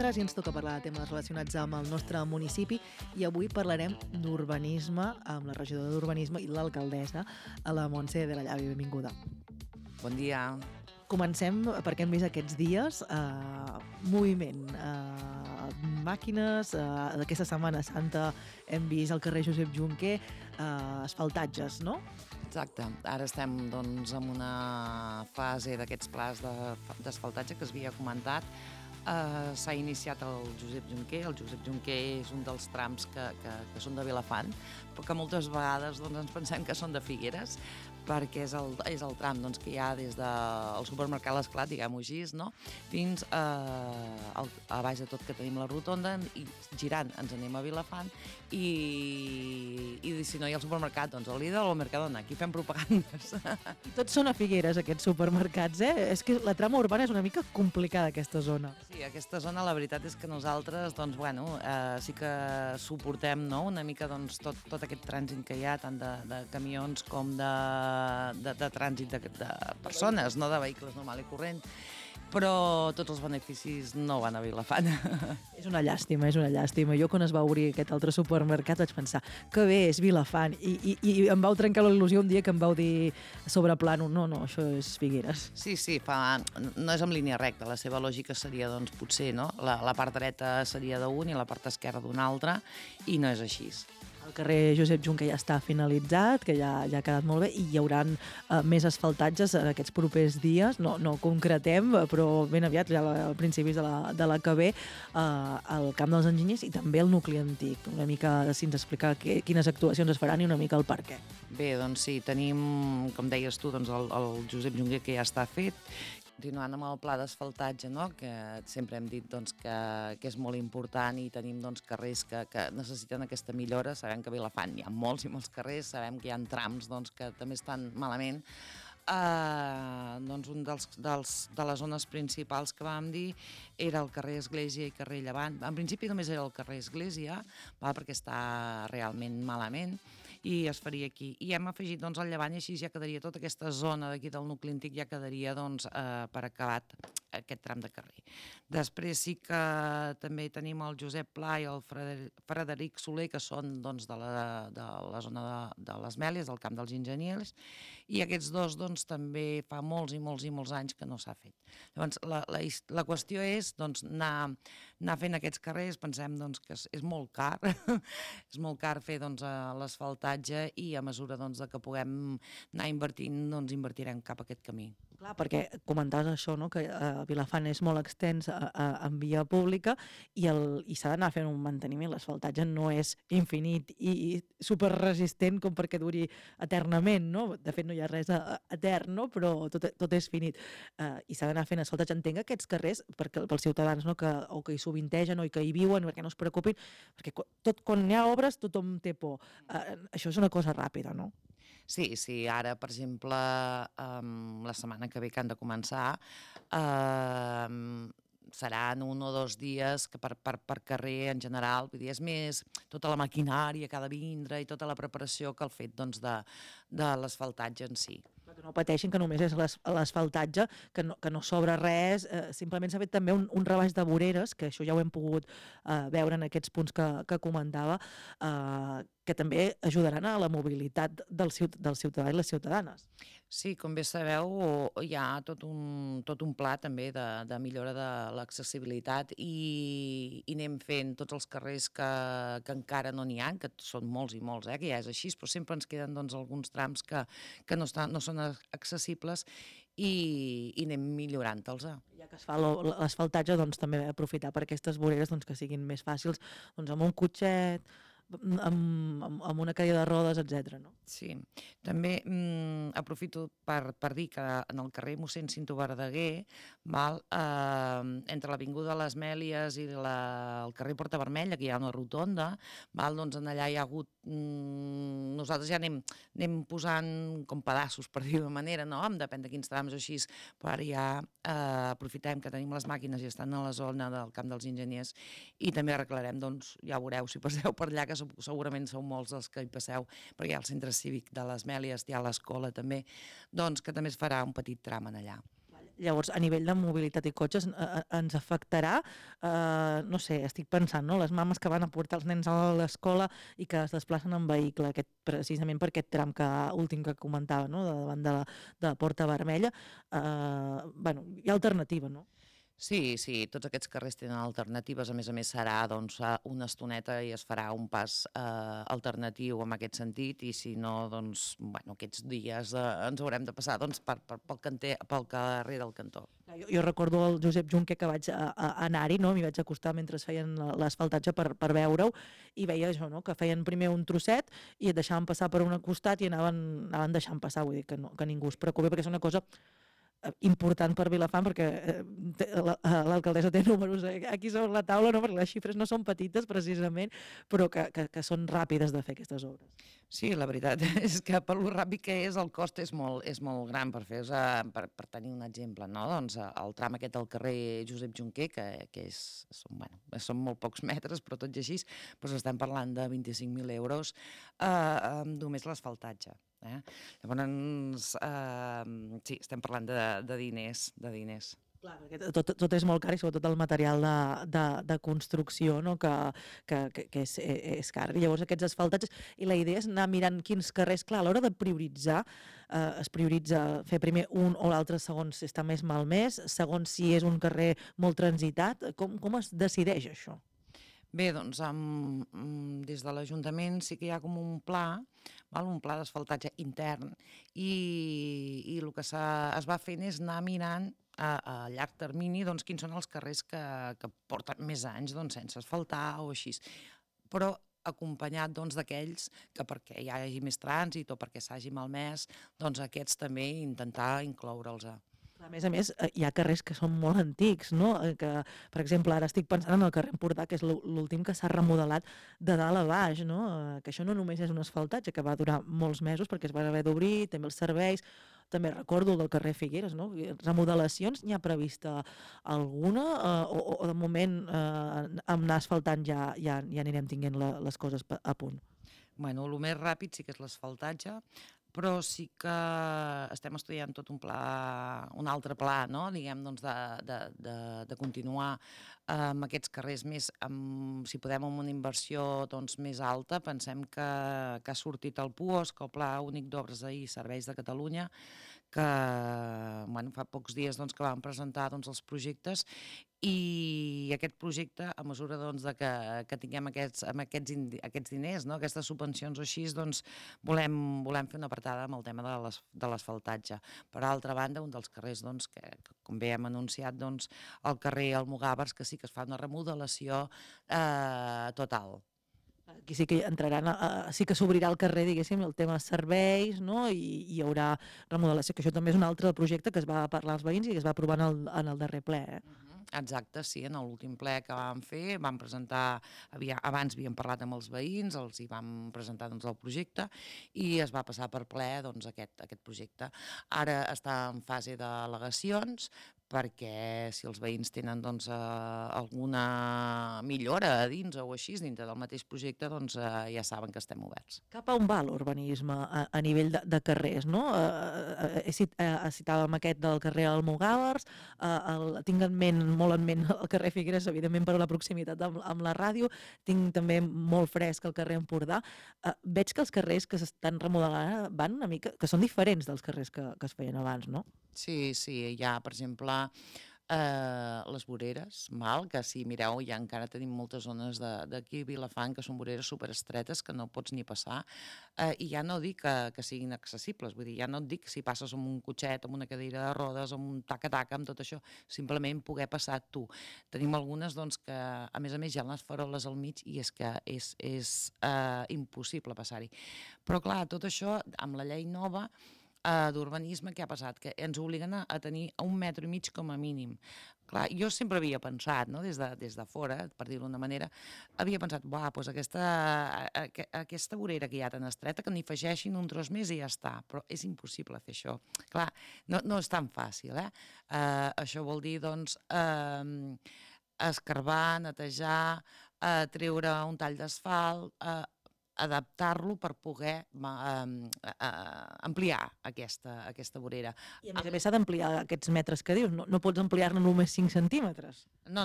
divendres i ens toca parlar de temes relacionats amb el nostre municipi i avui parlarem d'urbanisme amb la regidora d'Urbanisme i l'alcaldessa, a la Montse de la Llavi. Benvinguda. Bon dia. Comencem perquè hem vist aquests dies moviment, màquines, d'aquesta Setmana Santa hem vist al carrer Josep Junquer asfaltatges, no? Exacte. Ara estem doncs, en una fase d'aquests plans d'asfaltatge que es havia comentat. S'ha iniciat el Josep Junquer. El Josep Junquer és un dels trams que són de Vilafant, però que moltes vegades doncs, ens pensem que són de Figueres, perquè és el tram doncs, que hi ha des del supermercat L'Esclat, diguem-ho així, no? Fins a baix de tot que tenim la rotonda i girant ens anem a Vilafant i si no hi ha el supermercat, doncs al Lidl o al Mercadona, aquí fem propagandes. I tots són a Figueres, aquests supermercats, eh? És que la trama urbana és una mica complicada, aquesta zona. Sí, aquesta zona la veritat és que nosaltres doncs, bueno, sí que suportem, no? Una mica doncs, tot aquest trànsit que hi ha, tant de camions com de trànsit de persones, no de vehicles normal i corrent, però tots els beneficis no van a Vilafant. És una llàstima, és una llàstima. Jo quan es va obrir aquest altre supermercat vaig pensar que bé, és Vilafant, i em vau trencar la il·lusió un dia que em vau dir sobre plano, no, això és Figueres. Sí, no és en línia recta, la seva lògica seria, doncs, potser, no? La part dreta seria d'un i la part esquerra d'un altre, i no és així. El carrer Josep Junquer ja està finalitzat, que ja ha quedat molt bé, i hi haurà més asfaltatges en aquests propers dies. No concretem, però ben aviat, ja a principis de la que ve, al Camp dels Enginyers i també el nucli antic. Una mica, si ens explicar quines actuacions es faran i una mica el per què. Bé, doncs sí, tenim, com deies tu, doncs el Josep Junquer que ja està fet. Continuant amb el pla d'asfaltatge, no? Que sempre hem dit doncs, que és molt important i tenim doncs, carrers que necessiten aquesta millora. Sabem que a Vilafant hi ha molts i molts carrers, sabem que hi ha trams doncs, que també estan malament. Doncs un de les zones principals que vam dir era el carrer Església i carrer Llevant. En principi només era el carrer Església, perquè està realment malament, i es faria aquí. I hem afegit doncs, el Llevant i així ja quedaria tota aquesta zona d'aquí del nucli antic, ja quedaria doncs, per acabat aquest tram de carrer. Després sí que també tenim el Josep Pla i el Frederic Soler, que són doncs, de la zona de les Mèlies, del Camp dels Enginyers, i aquests dos doncs, també fa molts i molts i molts anys que no s'ha fet. Llavors, la qüestió és doncs, anar fent aquests carrers. Pensem doncs, que és molt car, és molt car fer doncs, l'asfaltatge, i a mesura doncs, que puguem anar invertint, doncs invertirem cap a aquest camí. Clar, perquè comentaves això, no? Que Vilafant és molt extens en via pública i s'ha d'anar fent un manteniment. L'asfaltatge no és infinit i superresistent com perquè duri eternament, no? De fet, no hi ha res etern, no? Però tot és finit. I s'ha d'anar fent asfaltatge. Entenc aquests carrers pels ciutadans, no? O que hi sovintegen o que hi viuen, perquè no es preocupin, perquè quan hi ha obres tothom té por. Això és una cosa ràpida, no? Sí, ara, per exemple, la setmana que ve que han de començar, seran 1 o 2 dies que per carrer en general, vull dir, és més tota la maquinària que ha de vindre i tota la preparació que el fet doncs, de l'asfaltatge en si. Que no pateixin, que només és l'asfaltatge, que no sobra res, simplement s'ha fet també un rebaix de voreres, que això ja ho hem pogut veure en aquests punts que comentava, que també ajudaran a la mobilitat del ciutadà i les ciutadanes. Sí, com bé sabeu, hi ha tot un pla també de millora de l'accessibilitat i anem fent tots els carrers que encara no n'hi ha, que són molts i molts, que ja és així, però sempre ens queden doncs, alguns trams que no són accessibles i anem millorant-los. Ja que es fa l'asfaltatge, doncs també aprofitar per aquestes voreres doncs, que siguin més fàcils doncs, amb un cotxet, amb una cadira de rodes, etc. No? Sí, també aprofito per dir que en el carrer mossèn Cinto Verdaguer, entre l'Avinguda de les Mèlies i el carrer Porta Vermella, que hi ha una rotonda, doncs allà hi ha hagut... Nosaltres ja anem posant com pedaços, per dir-ho d'una manera, no? Depèn de quins trams o així, però ara ja aprofitem que tenim les màquines i estan a la zona del Camp dels Enginyers i també arreglarem, doncs ja veureu si passeu per allà, que segurament sou molts els que hi passeu, perquè hi ha el centre cívic de les Mèlies, hi ha l'escola també, doncs que també es farà un petit tram en allà. Llavors, a nivell de mobilitat i cotxes, ens afectarà, no sé, estic pensant, no? Les mames que van a portar els nens a l'escola i que es desplacen en vehicle, precisament per aquest tram últim que comentava, no? Davant de la Porta Vermella, bueno, hi ha alternativa, no? Sí, tots aquests carrers tenen alternatives, a més serà doncs, una estoneta i es farà un pas alternatiu en aquest sentit, i si no, doncs, bueno, aquests dies ens haurem de passar doncs, pel carrer del Cantó. Jo recordo el Josep Junquer que vaig anar-hi, no? M'hi vaig acostar mentre feien l'asfaltatge per veure-ho, i veia això, no? Que feien primer un trosset i et deixaven passar per un costat i anaven deixant passar, vull dir que, no, que ningú es preocupi, perquè és una cosa important per Vilafant, perquè l'alcaldessa té números aquí sobre la taula, no? Perquè les xifres no són petites precisament, però que són ràpides de fer aquestes obres. Sí, la veritat és que per lo ràpid que és, el cost és molt gran. Per tenir un exemple, no? Doncs el tram aquest del carrer Josep Junquer, que són molt pocs metres, però tot i així, doncs estem parlant de 25.000 euros només l'asfaltatge. Llavors, sí, estem parlant de diners. Clar, perquè tot és molt car, i sobretot el material de construcció, no? que és car. I llavors aquests asfaltatges, i la idea és anar mirant quins carrers, clar, a l'hora de prioritzar, es prioritza fer primer un o l'altre segons si està més malmès, segons si és un carrer molt transitat. Com es decideix això? Bé, doncs des de l'Ajuntament sí que hi ha com un pla d'asfaltatge intern, i el que es va fent és anar mirant a llarg termini doncs, quins són els carrers que porten més anys sense asfaltar o així. Però acompanyat d'aquells que perquè hi hagi més trànsit o perquè s'hagi malmès, doncs aquests també intentar incloure'ls. A més, hi ha carrers que són molt antics, no? Que, per exemple, ara estic pensant en el carrer Empordà, que és l'últim que s'ha remodelat de dalt a baix, no? Que això no només és un asfaltatge, que va durar molts mesos perquè es van haver d'obrir, també els serveis. També recordo el del carrer Figueres, no? Remodelacions, n'hi ha prevista alguna? O de moment, amb anar asfaltant ja anirem tinguent les coses a punt? Bueno, el més ràpid sí que és l'asfaltatge, però sí que estem estudiant tot un altre pla, no? Diguem, doncs, de continuar amb aquests carrers més, si podem, amb una inversió més alta. Pensem que ha sortit el PUOS, el Pla Únic d'Obres i Serveis de Catalunya, que fa pocs dies que vam presentar els projectes, i aquest projecte, a mesura que tinguem aquests diners, no? Aquestes subvencions o així, volem fer una apretada amb el tema de l'asfaltatge. Per altra banda, un dels carrers que com bé hem anunciat, el carrer Almogàvers, que sí que es fa una remodelació total. Aquí sí que entraran, sí que s'obrirà el carrer, diguéssim, el tema serveis, no? I hi haurà remodelació, que això també és un altre projecte que es va parlar als veïns i que es va aprovar en el darrer ple. Exacte, sí, en l'últim ple que vam fer, vam presentar, abans havíem parlat amb els veïns, els hi vam presentar el projecte, i es va passar per ple aquest projecte. Ara està en fase d'al·legacions, perquè si els veïns tenen alguna millora a dins o així, dintre del mateix projecte, ja saben que estem oberts. Cap a on va l'urbanisme a nivell de carrers, no? Citàvem aquest del carrer Almogàvers, tinc molt en ment el carrer Figueres, evidentment per la proximitat amb la ràdio, tinc també molt fresc el carrer Empordà. Veig que els carrers que s'estan remodelant van una mica, que són diferents dels carrers que es feien abans, no? Sí, hi ha, per exemple, les voreres, que si mireu ja encara tenim moltes zones d'aquí a Vilafant que són voreres superestretes que no pots ni passar, i ja no dic que siguin accessibles, vull dir, ja no et dic si passes amb un cotxet, amb una cadira de rodes, amb un taca-taca, amb tot això, simplement poder passar tu. Tenim algunes que, a més hi ha les faroles al mig i és que és impossible passar-hi. Però clar, tot això amb la llei nova d'urbanisme, què ha passat? Que ens obliguen a tenir 1,5 metres com a mínim. Clar, jo sempre havia pensat, no? des de fora, per dir-ho d'una manera, havia pensat, doncs aquesta vorera que hi ha tan estreta, que n'hi afegeixin un tros més i ja està, però és impossible fer això. Clar, no és tan fàcil, Això vol dir, escarbar, netejar, treure un tall d'asfalt, adaptar-lo per poder ampliar aquesta vorera. I a més s'ha d'ampliar aquests metres que dius, no pots ampliar-ne només 5 centímetres. No,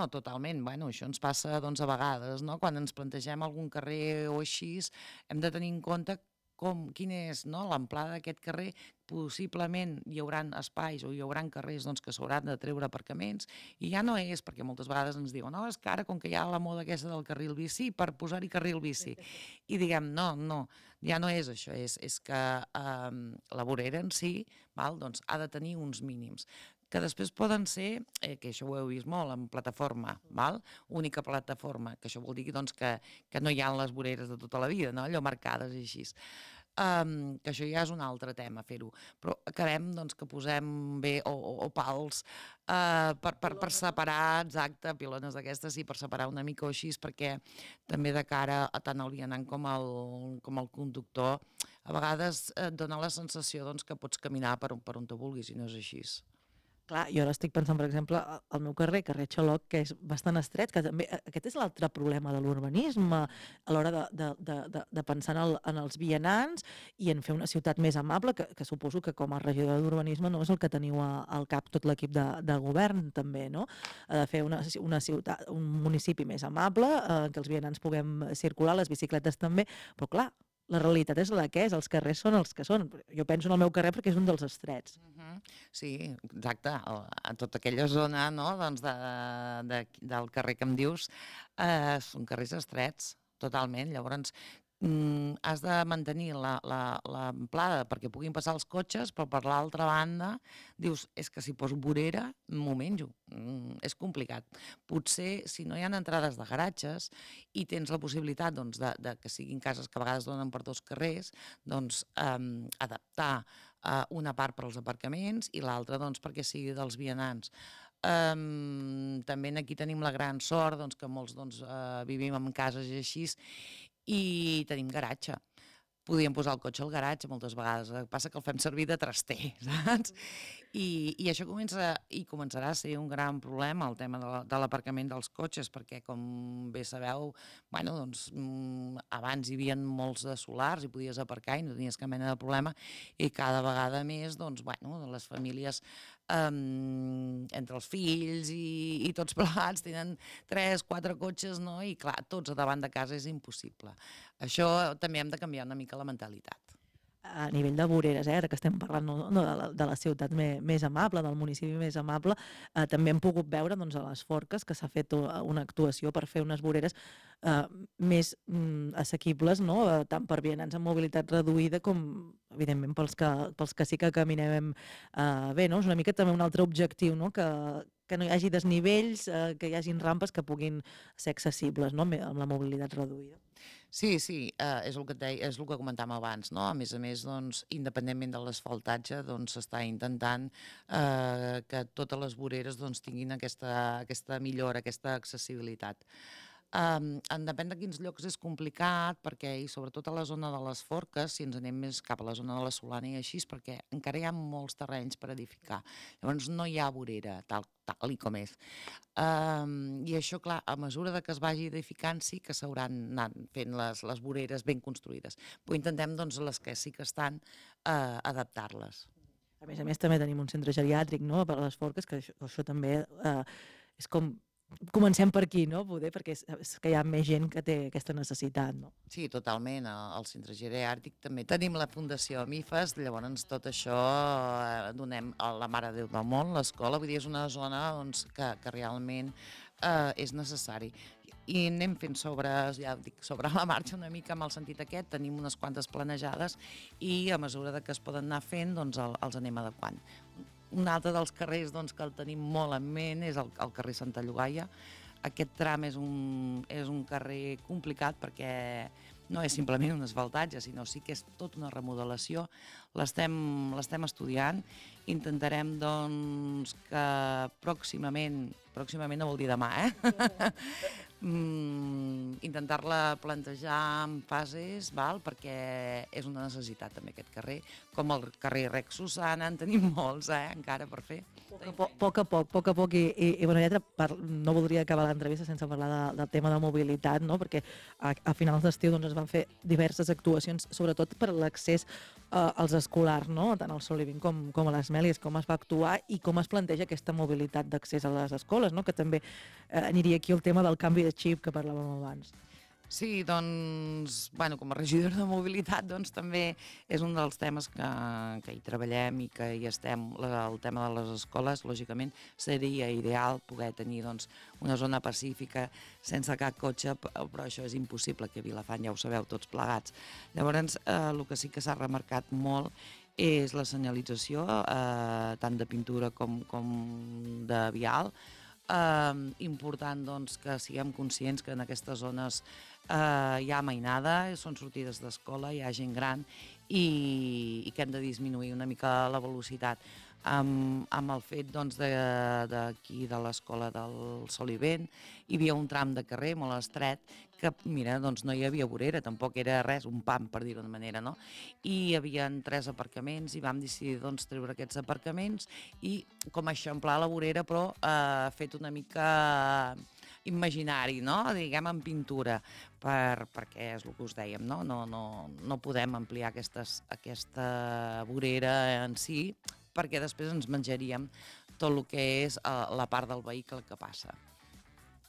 totalment. Bueno, això ens passa doncs, a vegades, no? Quan ens plantegem algun carrer o així, hem de tenir en compte quina és, no, l'amplada d'aquest carrer. Possiblement hi haurà espais o hi haurà carrers doncs, que s'hauran de treure aparcaments, i ja no és, perquè moltes vegades ens diuen no, és que ara, com que hi ha la moda aquesta del carril bici, per posar-hi carril bici. I diguem, no, ja no és això, és que la vorera en si doncs, ha de tenir uns mínims que després poden ser, que això ho heu vist molt, en plataforma, única plataforma, que això vol dir doncs, que no hi ha les voreres de tota la vida, no? Allò marcades i així. Que això ja és un altre tema, fer-ho. Però acabem doncs, que posem bé o pals per separar, exacte, pilones d'aquestes, sí, per separar una mica o així, perquè també de cara a tant el vianant com el conductor, a vegades et dona la sensació doncs, que pots caminar per on te vulguis i no és així. Clar, jo ara estic pensant, per exemple, al meu carrer Xaloc, que és bastant estret, que també aquest és l'altre problema de l'urbanisme, a l'hora de pensar en els vianants i en fer una ciutat més amable, que suposo que com a regidor d'urbanisme no és el que teniu al cap tot l'equip de govern, també, no? De fer una ciutat, un municipi més amable, que els vianants puguem circular, les bicicletes també, però clar, la realitat és la que és, els carrers són els que són. Jo penso en el meu carrer perquè és un dels estrets. Sí, exacte. A tota aquella zona doncs del carrer que em dius són carrers estrets, totalment. Llavors has de mantenir l'amplada perquè puguin passar els cotxes, però per l'altra banda dius, és que si poso vorera m'ho menjo. És complicat. Potser, si no hi ha entrades de garatges i tens la possibilitat de que siguin cases que a vegades donen per 2 carrers, doncs adaptar una part per als aparcaments i l'altra perquè sigui dels vianants. També aquí tenim la gran sort que molts vivim en cases i així i tenim garatge. Podíem posar el cotxe al garatge moltes vegades, el que passa que el fem servir de traster, saps? I això començarà a ser un gran problema, el tema de l'aparcament dels cotxes, perquè, com bé sabeu, abans hi havia molts de solars i podies aparcar i no tenies cap mena de problema, i cada vegada més, les famílies, entre els fills i tots plegats, tenen 3-4 cotxes, no? I clar, tots a davant de casa és impossible. Això també hem de canviar una mica la mentalitat. A nivell de voreres, ara que estem parlant de la ciutat més amable, del municipi més amable, també hem pogut veure a les Forques que s'ha fet una actuació per fer unes voreres més assequibles, tant per vianants amb mobilitat reduïda com, evidentment, pels que sí que caminem bé. És una mica també un altre objectiu, que no hi hagi desnivells, que hi hagin rampes que puguin ser accessibles amb la mobilitat reduïda. Sí, és el que et deia, és el que comentàvem abans, no? A més, independentment de l'asfaltatge, s'està intentant que totes les voreres tinguin aquesta millora, aquesta accessibilitat. Depèn de quins llocs és complicat, perquè, i sobretot a la zona de les Forques, si ens anem més cap a la zona de la Solana i així, perquè encara hi ha molts terrenys per edificar. Llavors no hi ha vorera, tal com és. I això, clar, a mesura que es vagi edificant sí que s'hauran anat fent les voreres ben construïdes. Però intentem, les que sí que estan, adaptar-les. A més, també tenim un centre geriàtric per a les Forques, que això també és com... Comencem per aquí, poder, perquè és que hi ha més gent que té aquesta necessitat. Sí, totalment. Al centre geriàtric també tenim la Fundació Amifas, llavors tot això donem a la Mare de Déu del Món, l'escola, vull dir, és una zona que realment és necessari. I anem fent sobre la marxa una mica amb el sentit aquest, tenim unes quantes planejades i a mesura que es poden anar fent els anem adequant. Un altre dels carrers que el tenim molt en ment és el carrer Santa Llogaia. Aquest tram és un carrer complicat perquè no és simplement un asfaltatge, sinó sí que és tota una remodelació. L'estem estudiant. Intentarem que pròximament no vol dir demà, intentar-la plantejar en fases, perquè és una necessitat també aquest carrer, com el carrer Rex Susana, en tenim molts, encara per fer. A poc, i bona lletra, no voldria acabar l'entrevista sense parlar del tema de mobilitat, no? Perquè a finals d'estiu es van fer diverses actuacions, sobretot per l'accés als escolars, no? Tant al Sol Living com a les Mèlies, com es va actuar i com es planteja aquesta mobilitat d'accés a les escoles, no? Que també aniria aquí el tema del canvi de xip que parlàvem abans. Sí, doncs, com a regidora de mobilitat, doncs també és un dels temes que hi treballem i que hi estem. El tema de les escoles, lògicament, seria ideal poder tenir una zona pacífica sense cap cotxe, però això és impossible aquí a Vilafant, ja ho sabeu tots plegats. Llavors, el que sí que s'ha remarcat molt és la senyalització, tant de pintura com de vial. Important que siguem conscients que en aquestes zones hi ha mainada, són sortides d'escola, hi ha gent gran i que hem de disminuir una mica la velocitat. Amb el fet d'aquí de l'escola del Sol i Vent hi havia un tram de carrer molt estret que, mira, no hi havia vorera, tampoc era res, un pam, per dir-ho d'una manera, no? I hi havia 3 aparcaments i vam decidir treure aquests aparcaments i com eixamplar la vorera, però fet una mica imaginari, no? Diguem, en pintura, perquè és el que us dèiem, no? No podem ampliar aquesta vorera en si, perquè després ens menjaríem tot el que és la part del vehicle que passa.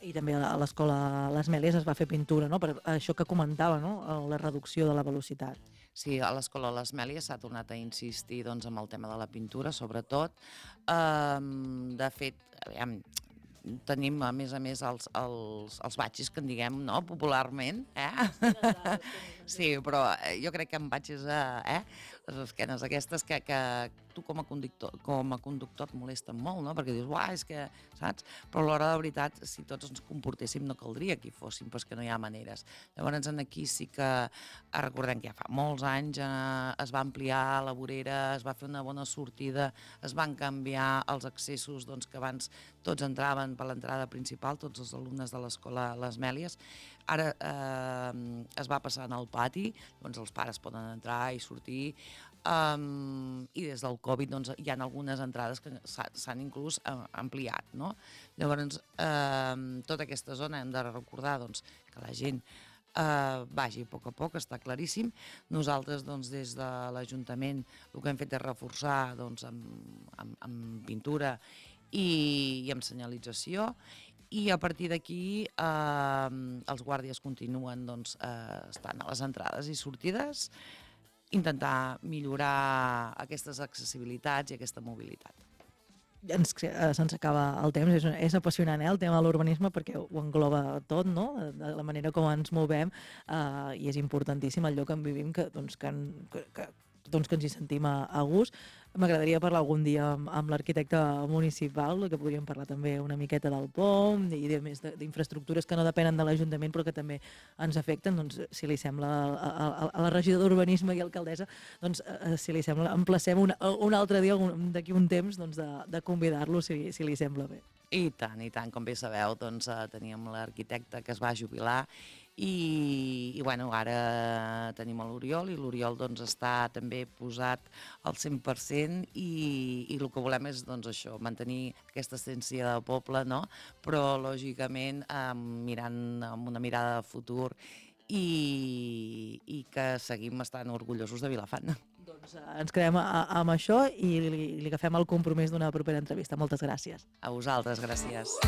I també a l'escola Les Mèlies es va fer pintura, no? Per això que comentava, no? La reducció de la velocitat. Sí, a l'escola Les Mèlies s'ha tornat a insistir amb el tema de la pintura, sobretot. De fet, tenim, a més, els batxis, que en diguem, no?, popularment, Sí, però jo crec que en batxis, les esquenes aquestes que tu com a conductor et molesten molt, no?, perquè dius, és que, saps? Però a l'hora de veritat, si tots ens comportéssim, no caldria que hi fóssim, però és que no hi ha maneres. Llavors, aquí sí que recordem que ja fa molts anys es va ampliar la vorera, es va fer una bona sortida, es van canviar els accessos que abans tots entraven per l'entrada principal, tots els alumnes de l'escola Les Mèlies. Ara es va passar al pati, doncs els pares poden entrar i sortir, i des del Covid hi ha algunes entrades que s'han inclús ampliat, no? Llavors, tota aquesta zona hem de recordar que la gent vagi a poc, està claríssim. Nosaltres, des de l'Ajuntament, el que hem fet és reforçar amb pintura i amb senyalització, i a partir d'aquí els guàrdies continuen estant a les entrades i sortides, intentar millorar aquestes accessibilitats i aquesta mobilitat. Se'ns acaba el temps, és apassionant el tema de l'urbanisme perquè ho engloba tot, no? De la manera com ens movem, i és importantíssim el lloc on vivim, que ens hi sentim a gust. M'agradaria parlar algun dia amb l'arquitecte municipal, que podríem parlar també una miqueta del POM i d'infraestructures que no depenen de l'Ajuntament però que també ens afecten. Si li sembla, a la regidora d'Urbanisme i alcaldessa, si li sembla, emplacem un altre dia, d'aquí un temps, de convidar-lo, si li sembla bé. I tant, com bé sabeu, teníem l'arquitecte que es va jubilar i ara tenim l'Oriol, i l'Oriol està també posat al 100% i el que volem és això, mantenir aquesta essència de poble, no? Però lògicament mirant amb una mirada de futur i que seguim estant orgullosos de Vilafant. Ens quedem amb això i li agafem el compromís d'una propera entrevista. Moltes gràcies. A vosaltres, gràcies.